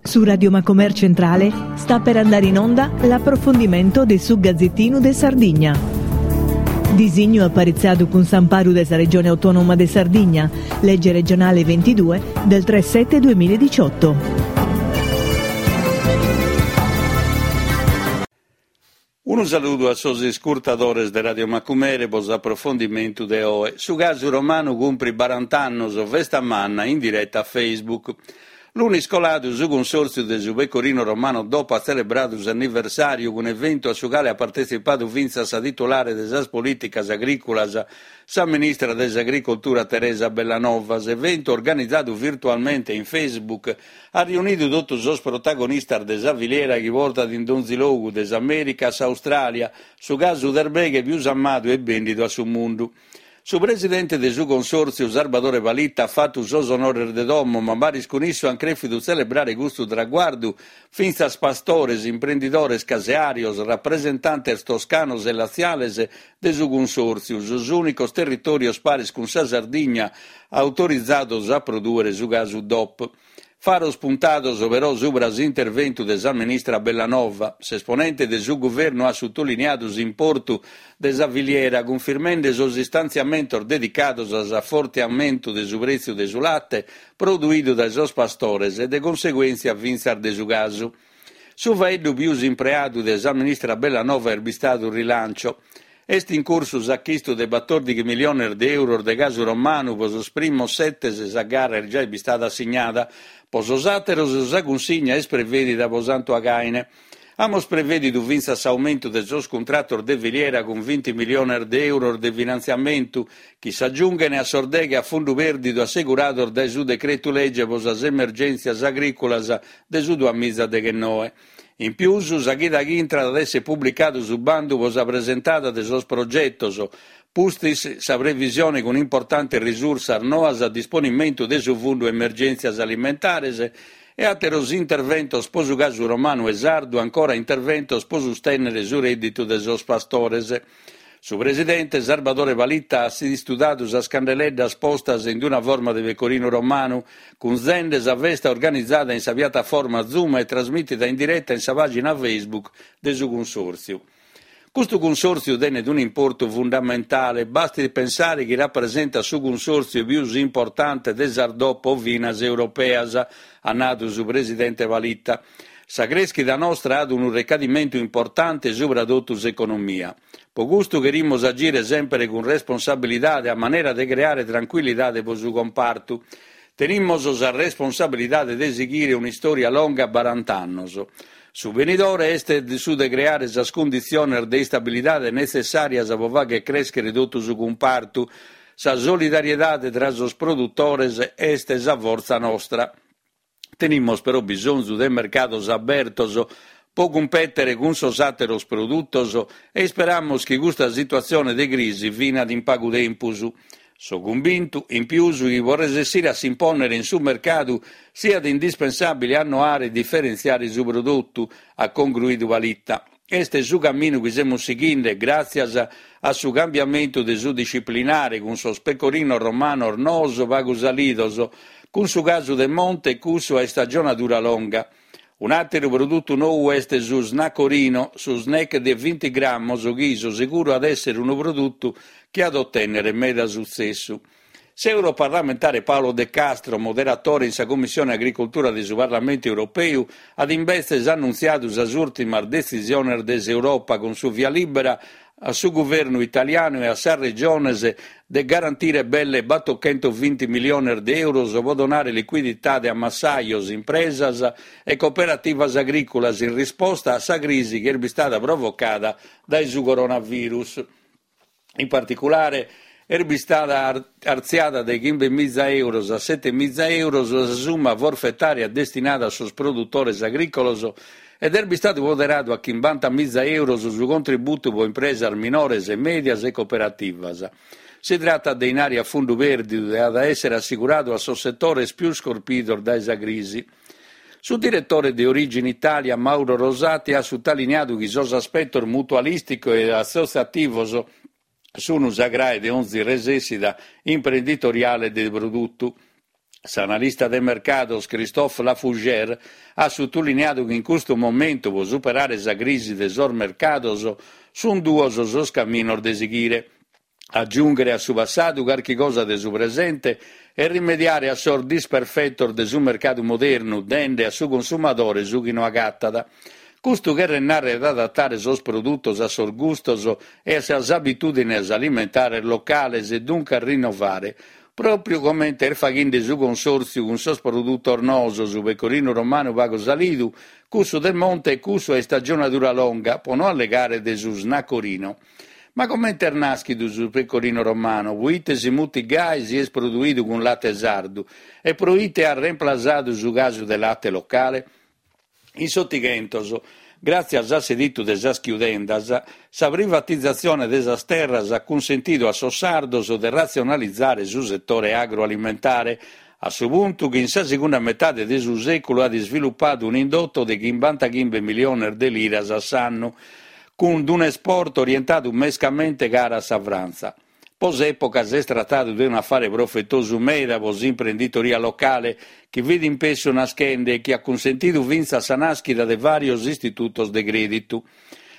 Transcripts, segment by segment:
Su Radio Macomer Centrale sta per andare in onda l'approfondimento de su Gazzettinu de Sardigna. Disignu aparitzadu cun s'amparu de sa Regione Autonoma de Sardigna, legge regionale 22 del 3 7 2018. Unu saludu a sos iscurtadores de Radio Macumere pro s'aprofondimentu de oe. Su casu romanu cumprit barant'annos, festa manna in direta a Facebook. Lunis coladu su Cunsòrtziu de su Pecorino Romano Dop at tzelebradu s'anniversàriu cun eventu a su cale at partetzipadu fintzas sa titulare de sas polìticas agrìculas, Sa ministra de s'Agricoltura Teresa Bellanova, s'eventu organizadu virtualmente in Facebook, at riunidu totu sos protagonistas de sa filiera chi portat in donzi logu, de s'Amèrica a s'Austràlia, su casu de erbeghe pius amadu e bèndidu a su mundu. Su presidente de su Consòrtziu, Sarbadore Palitta, at fatu sos onores de domo, ma paris cun issu ant crèfidu tzelebrare custu traguardu fintzas pastores, imprendidores caseàrios, rapresentantes toscanos e latziales de su Cunsòrtziu, sos ùnicos territòrios paris cun sa Sardigna autorizados a prodùere su casu Dop. Faros puntados però subra s'interventu de sa ministra Bellanova. S'esponente de su guvernu at sutuliniadu s'importu de sa filiera, cunfirmende sos istantziamentos dedicados a s'afortiamentu de su prètziu de su late produidu dae sos pastores e de conseguèntzia fintzas de su casu. Su faeddu pius impreadu de sa ministra Bellanova est bistadu rilancio. Est in cursu s'achistu de batòrdighi miliones de euros de casu romanu pro sos primos setes sa gara est giai bistada assignada. Pro sos àteros sa cunsigna est prevèdida pro Santu Againe. Amus prevèdidu fintzas s'aumentu de sos cuntratos de filiera cun binti miliones de euros de finantziamentu chi s'agiunghen a sos deghe a fundu pèrdidu assegurados dae su decretu lege pro sas emergèntzias agrìculas de su duamiza deghennoe. In pius, sa chida chi intrat at èssere publicadu su bandu pro sa presentada de sos progetos, pustis sa previsione cun importantes risursas noas a disponimentu de su Fundu Emergèntzias Alimentares e àteros interventos pro su casu romanu e sardu ancora interventos pro sustènnere su rèdditu de sos pastores. Su presidente Sarbadore Palitta at istudadu sas candeleddas postas in una forma de pecorinu romanu, cunzende sa festa organizada in sa piataforma Zoom e trasmìtida in direta in sa pàgina Facebook de su Cunsòrtziu. Custu cunsòrtziu tenet un'importu fundamentale, bastit pensare chi rapresentat su cunsòrtziu pius importante de sas DOP ovinas europeas, at nadu su presidente Palitta. Sa crèschida nostra at unu recadimentu importante subra totu s'economia. Pro custu cherimus agire semper cun responsabilidade a manera de creare trancuillidade pro su compartu. Tenimus sa responsabilidade de sighire un'istòria longa barant'annos. Su benidore est su de creare sas cunditziones de istabilidade netzessàrias pro fàghere crèschere totu su cumpartu. Sa solidariedade tra sos produtores est sa fortza nostra. Tenimus però bisonzu de mercados abertos pro cumpètere cun sos àteros produtos e isperamus chi custa situatzione de crisi finat in pagu tempus. So cumbintu, in pius, chi pro resessire a s'impònnere in su mercadu siat indispensàbile annoare e diferentziare su produtu, at congruidu Palitta. Est su caminu chi semus sighinde gràtzias a su cambiamentu de su disciplinare cun sos pecorinos romanos noos pagu salidos, cun su casu de monte e cussu a istagionadura longa. Un'àteru produtu nou est su snaccorino, su snack de binti grammos chi, so seguru, at èssere unu produtu chi at otènnere meda sutzessu. S'europarlamentare Paolo De Castro, moderatore in sa Commissione Agricoltura de su Parlamentu Europeu, at imbetzes annuntziadu sas ùrtimas detzisiones de s'Europa cun su via lìbera a su guvernu italianu e a sas regiones de garantire belle batochentovinti miliones de euros pro donare licuiditade a massajos, impresas e cooperativas agrìculas in risposta a sa crisi chi est bistada provocada dae su coronavirus. In particulare, est bistada artziada de chimbemiza euros a setemiza euros sa summa forfetària destinada a sos produtores agrìcolos ed est bistadu poderadu a chimbantamiza euros su contributu pro impresas minores e mèdias e cooperativas. Si tratat de inari a fundu pèrdidu e at a èssere assiguradu a sos setores pius corpidos dae sa crisi. Su diretore de Origin Italia, Mauro Rosati, at sutaliniadu chi sos aspetos mutualìsticos e assotziativos sunt sa crae de onzi resèssida imprenditoriale de produtu. S'analista de mercados Christophe Lafougère at sutuliniadu chi in custu momentu pro superare sa crisi de sos mercados sunt duos sos caminos de sighire, agiùnghere a su passadu carchi cosa de su presente e rimediare a sos disperfetos de su mercadu modernu dende a su consumadore su chi no agatat. Custu cheret nàrrere adatare sos produtos a sos gustos e a sas abitùdines alimentares locales e duncas rinnovare. Pròpriu comente est faghende su Consòrtziu cun sos produtos noos, su pecorinu romanu pagu salidu, cussu de monte e cussu a istagionadura longa, pro no allegare de su snaccorino. Ma comente est nàschidu su pecorino romano, proite si mutit gai si est produidu cun late sardu e proite at remplasadu su casu de late locale? In s'Otighentos, gràtzias a s'editu de sas chiudendas, sa privatizatzione de sas terras at cunsentidu a sos sardos de ratzionalizare su setore agroalimentare, a su puntu chi in sa segunda metade de su sèculu at isvilupadu un'indotto de chimbantachimbe miliones de liras a s'annu, cun un'esport orientadu mescamente cara a sa Frantza. Pro s'època s'est tratadu de un'afare profetosu meda pro s'imprenditoria locale, chi fit in pessu naschende e chi at cunsentidu fintzas sa nàschida de vàrios istitutos de crèditu.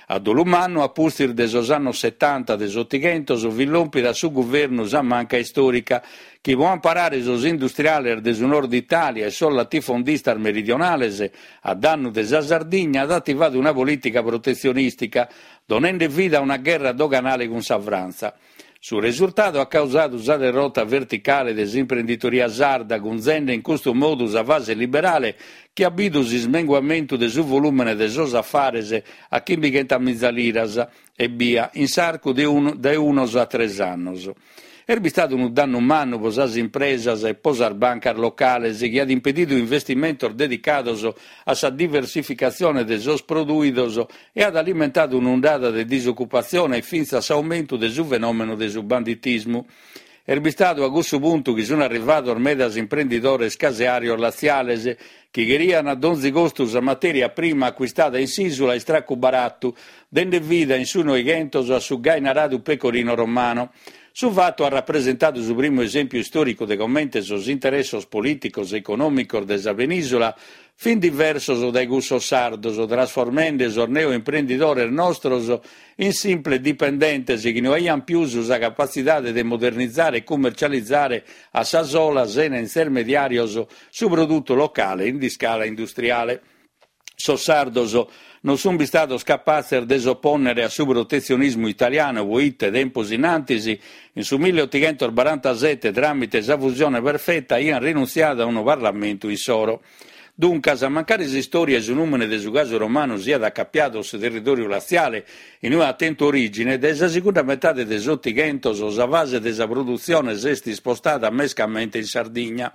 A dolu mannu, a pustis de sos annos setanta de s'Otighentos, fit lòmpida a su guvernu sa manca istòrica, chi pro amparare sos industriales de su nord Itàlia e sos latifondistas meridionales a dannu de sa Sardigna at ativadu una polìtica protetzionìstica, donende vida a una gherra doganale cun sa Frantza. Su resurtadu at causadu sa derrota verticale de s'imprenditoria sarda, cunzende in custu modu sa fase liberale chi at bidu s'ismenguamentu de su volùmene de sos afares a chimbighentamiza liras ebbia in s'arcu de de unos a tres annos. Est bistadu unu dannu mannu pro sas impresas e pro sas bancas locales chi at impedidu investimentos dedicados a sa diversificatzione de sos produidos e at alimentadu un'undada de disocupatzione e fintzas s'aumentu de su fenòmenu de su banditismu. Est bistadu a cussu puntu chi sunt arrivados medas imprendidores caseàrios latziales chi cherian a donzi costu sa matèria prima acuistada in s'ìsula a istracu baratu, dende vida in su Noighentos a su gai naradu pecorino romano. Su fatu at rapresentadu su primu esèmpiu istòricu de comente sos interessos polìticos e econòmicos de sa penìsula fin diversos dae cussos sardos, trasformende sos neoimprendidores nostros in simples dipendentes chi no aian pius sa capatzidade de modernizare e cummercializare a sa sola sena intermediàrios su produtu locale in iscala industriale. Sos sardos non sunt bistados capatzes de s'opònnere a su protetzionismu italianu poite tempus in antis, in su milleotighentosbarantasete tràmite sa fusione perfeta aiant rinuntziadu a unu parlamentu issoro. Duncas, mancari s'istòria e su nùmene de su casu romanu siat acapiadu a su territòriu latziale, in ue at tentu orìgine, dae sa segunda metade de s'Otighentos sa fase de sa produtzione s'est ispostada mescamente in Sardigna.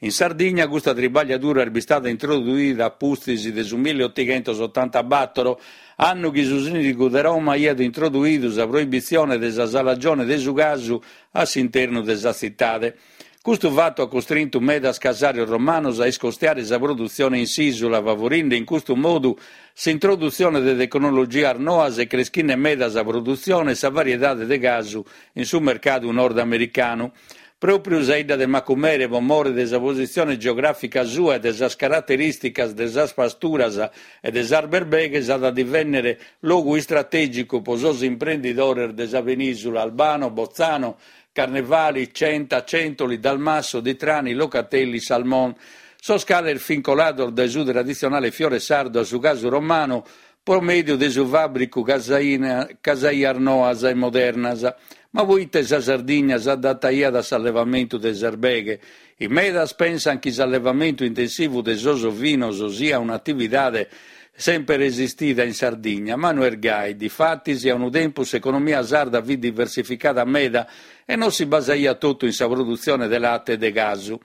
In Sardigna custa tribagliadura est bistada introduida a pustis de su milleotighentosotantabatoro, annu chi su sìndigu de Roma aiat introduidu sa proibitzione de sa salagione de su casu a s'internu de sa tzitade. Custu fatu at costrintu medas casàrios romanos a iscostiare sa produtzione in s'ìsula, favorinde in custu modu s'introdutzione de tecnologias noas e creschinde meda sa produtzione e sa variedade de casu in su mercadu nordamericanu. Pròpriu sa 'idda de Macumere, pro more de sa positzione geogràfica sua e de sas caraterìsticas de sas pasturas e de sas berbeghes, at a divènnere logu istratègicu pro sos imprendidores de sa penìsula, Albano, Bozzano, Carnevali, Centa, Centoli, Dalmasso, Ditrani, Locatelli, Salmon, sos cales fin colados dae su traditzionale fiore sardu a su casu romanu pro mèdiu de su fàbricu casaias noas e modernas. Ma proite sa Sardigna s'adataiat a s'allevamentu de s'erbeghe? In medas pensan chi s'allevamentu intensivu de sos ovinos siat un'atividade semper esistida in Sardigna, ma no est gai. Difatis, a unu tempus s'economia sarda fit diversificada meda e non si basaiat totu in sa produtzione de late e de casu.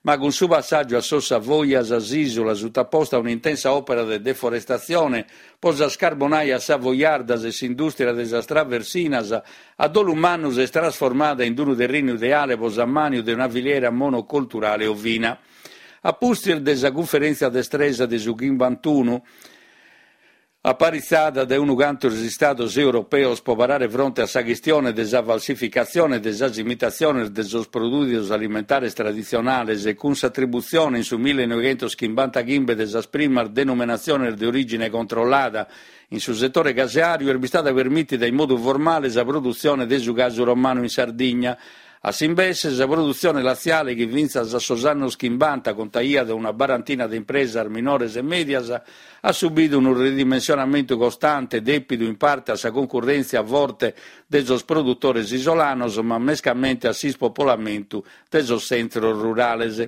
Ma cun su passàgiu a sos Savoias s'ìsula, sutaposta a un'intensa òpera de deforestatzione pro sas carbonaias savoiardas e s'indùstria de sas traversinas, a dolu mannu s'est trasformada in unu terrinu ideale pro s'ammàniu de una filiera monocolturale ovina. A pustis de sa Cunferèntzia de Stresa de su chimbantunu. Aparitzada dae unu cantu de istados europeos pro parare fronte a sa chistione de sa falsificatzione e de sas imitatziones de sos prodùidos alimentares traditzionales e cun s'atributzione in su millenoighentoschimbantachimbe de sas primas denomenatziones de orìgine controllada in su setore caseàriu est bistada permìtida in modu formale sa produtzione de su casu romanu in Sardigna. A s'imbesse, sa produtzione latziale, chi fintzas a sos annos chimbanta contaiat una barantina de impresas minores e mèdias, at subidu unu ridimensionamentu costante dèpidu in parte a sa cuncurrèntzia forte de sos produtores isolanos ma mescamente a s'ispopolamentu de sos tzentros rurales.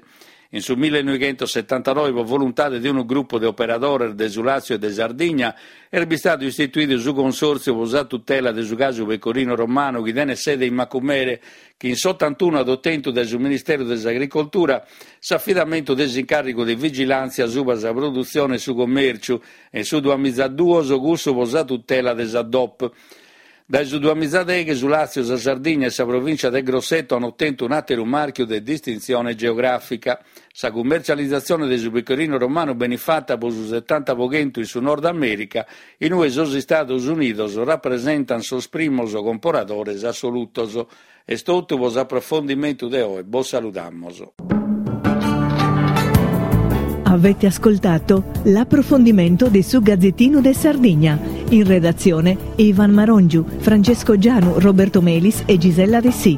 In su millenoighentosetantanoe pro voluntade de unu grupu de operadores de su Làtziu e de Sardigna est bistadu istituidu su Consòrtziu pro sa tutela de su casu pecorino romanu chi tenet sede in Macumere chi in s'otantunu at otentu dae su Ministeru de s'Agricoltura s'afidamentu de s'incàrrigu de vigilàntzia subra sa produtzione e su commèrciu e in su duamizaduos cussu pro sa tutela de sa DOP. Dae su duamizadeghe su Làtziu, sa Sardigna e sa provìncia de Grosseto an otentu un'àteru màrchiu de distintzione geogràfica. Sa cummercializatzione de su pecorino romanu benit fata pro su setanta pro chentu in su Nord Amèrica, in ue sos Istados Unidos rapresentant sos primos comporadores assolutos. Est totu pro s'aprofondimentu de oe, bos saludamos. Avete ascoltato l'approfondimento de su Gazzettino de Sardigna. In redazione Ivan Marongiu, Francesco Gianu, Roberto Melis e Gisella Dessì.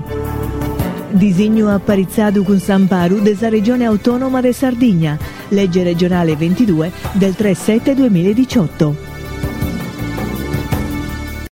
Disignu aparitzadu cun s'amparu de sa Regione Autonoma de Sardigna, legge regionale 22 del 3 7 2018.